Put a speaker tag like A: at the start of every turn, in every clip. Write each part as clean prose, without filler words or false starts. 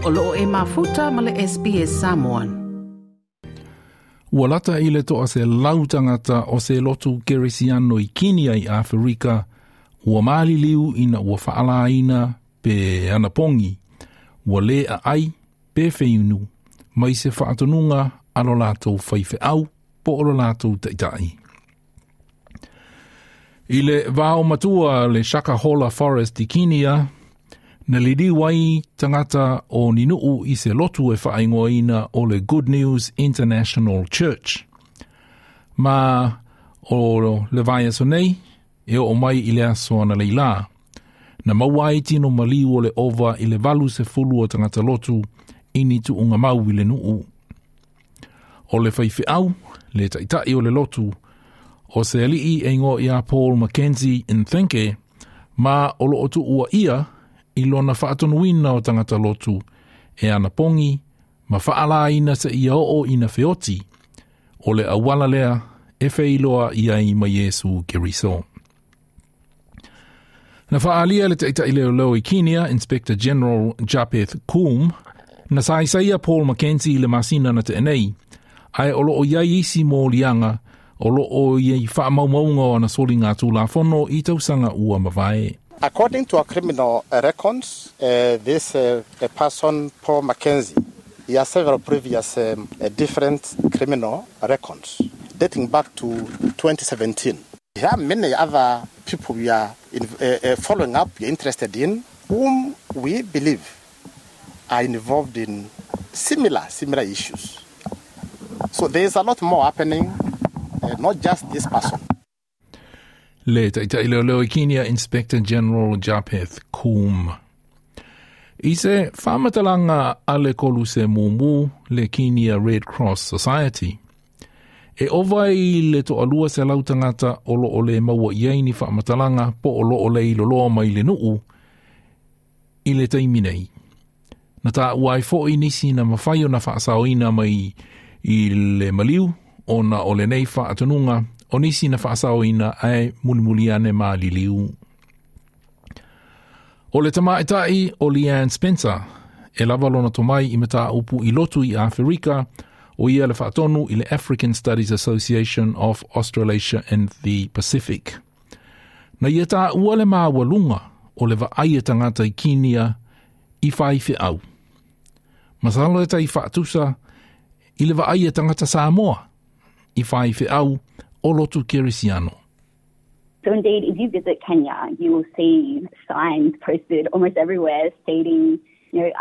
A: O loo e mafuta ma le SBS Samoan.
B: Ua lata i le 100 tagata o se lotu Kerisiano i Kinia i Aferika ua maliliu ina ua faalaina pe anapogi, ua le aai pe feinu mai se faatonuga a lo latou faifeau po o lo latou taitai. I le vao matua le Shakahola Forest i Kinia, na liliu ai tagata o ni nuu i se lotu e faaigoaina o le Good News International Church. Ma o le vaiaso nei, e oo mai i le aso analeila. Na maua ai tino maliu o le ova i le 80 o tagata lotu i ni tuugamau i le nuu. O le faifeau, le taitai o le lotu, o se alii e igoa ia Paul Mackenzie Nthenge, ma o loo tuuaia i lona faatonuina o tagata lotu e anapogi ma faalaina seia oo ina feoti, o le auala lea e feiloai ai ma Iesu Keriso. Na faaalia le taitai leoleo i Kenya, Inspector General Japheth Koome, na saisaia Paul Mackenzie i le masina na tea nei, ae o loo iai isi moliaga o loo i faamaumauga o ana soligatulafono i tausaga ua mavae.
C: According to our criminal records, this person, Paul Mackenzie, he has several previous different criminal records dating back to 2017. There are many other people we are following up, we are interested in, whom we believe are involved in similar issues. So there is a lot more happening, not just this person.
B: Le taitai leoleo i Kenya, Inspector General Japheth Koome. I se faamatalaga a le Koluse Mumu le Kenya Red Cross Society, e ova i le 200 tagata o loo le maua i ai ni faamatalaga po o loo le iloloa mai le nuu i le taimi nei. Na taua ai foi nisi na mafai ona faasaoina mai i le maliu ona o lenei faatonuga o nisi na faasaoina ae mulimuli ane maliliu. O le tamaitai o Leanne Spencer, e lava lona tomai i mataupu i lotu i Aferika, o ia le faatonu i le African Studies Association of Australasia and the Pacific. Na ia taua le maualuga o le vaai a tagata i Kinia i faifeau. Masalo e tai faatusa i le vaai a tagata Samoa i faifeau o lotu Kerisiano.
D: So indeed, if you visit Kenya, you will see signs posted almost everywhere stating,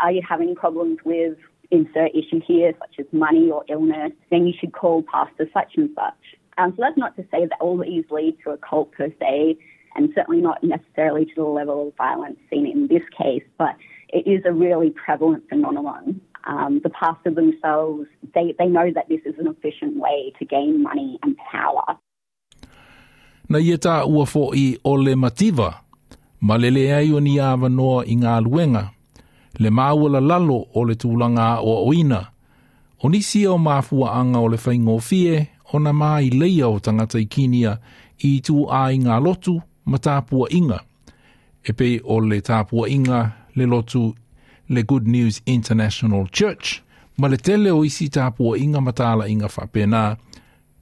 D: are you having problems with insert issue here, such as money or illness, then you should call pastor such and such. So that's not to say that all these lead to a cult per se, and certainly not necessarily to the level of violence seen in this case, but it is a really prevalent phenomenon. The pastor themselves, they know that this is an efficient way to gain money and power.
B: Na ia taua foi o le mativa, ma le leai o ni avanoa i galuega, le maualalalo o le tulaga aoaoina, o nisi o mafuaaga o le faigofie ona maileia o tagata i Kinia i ituaiga lotu ma tapuaiga, e pei o le tapuaiga le lotu le Good News International Church, ma le tele o isi tapuaiga ma talaiga faapena,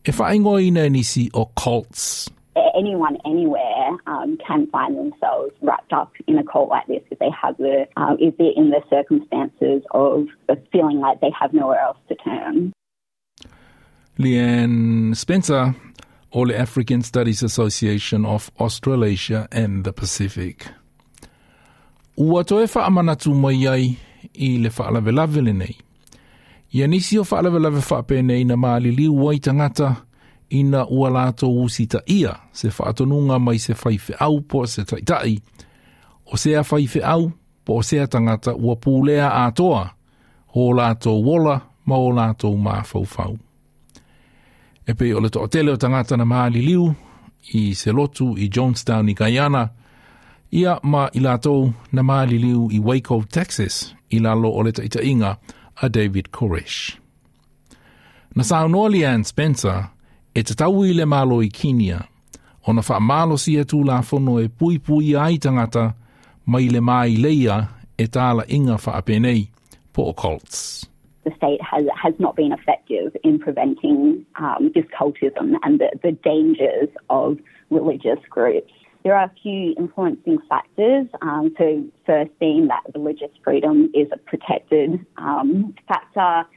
B: e faaigoaina e nisi o cults.
D: Anyone anywhere can find themselves wrapped up in a cult like this if they have the if they're in the circumstances of feeling like they have nowhere else to turn.
B: Leanne Spencer o le African Studies Association of Australasia and the Pacific. Ua toe faamanatu mai ai i le faalavelave lenei. Ia nisi o faalavelave faapenei na maliliu ai tagata ina ua latou usitaia se faatonuga mai se faifeau po o se taitai, o sea faifeau po o sea tagata ua pulea atoa o latou ola ma o latou mafaufau. E pei o le toatele o tagata na maliliu i se lotu i Jonestown i Guyana, ia ma i latou na maliliu i Waco, Texas, i lalo o le taitaiga a David Koresh. Na saunoa Leanne Spencer e tatau i le Malo i Kinia, ona faamalosia tulafono e puipuia ai tagata mai le maileia e talaiga faapenei, Po o cults.
D: The state has not been effective in preventing this cultism and the dangers of religious groups. There are a few influencing factors. So first being that religious freedom is a protected factor,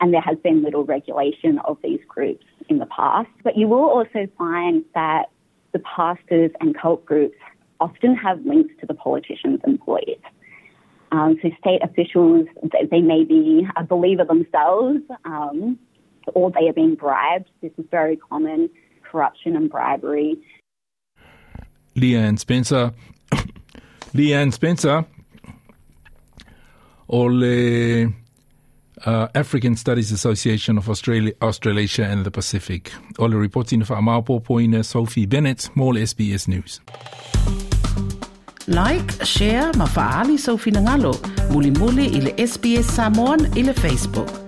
D: and there has been little regulation of these groups in the past. But you will also find that the pastors and cult groups often have links to the politicians and police. So state officials, they may be a believer themselves, or they are being bribed. This is very common, corruption and bribery.
B: Leanne Spencer. Leanne Spencer o le African Studies Association of Australia, Australasia and the Pacific. O le ripoti na whaamaopopoina Sophie Bennett mo le SBS News.
A: Like, share ma fa'aali sou finagalo. Mulimuli i le SBS Samoan i le Facebook.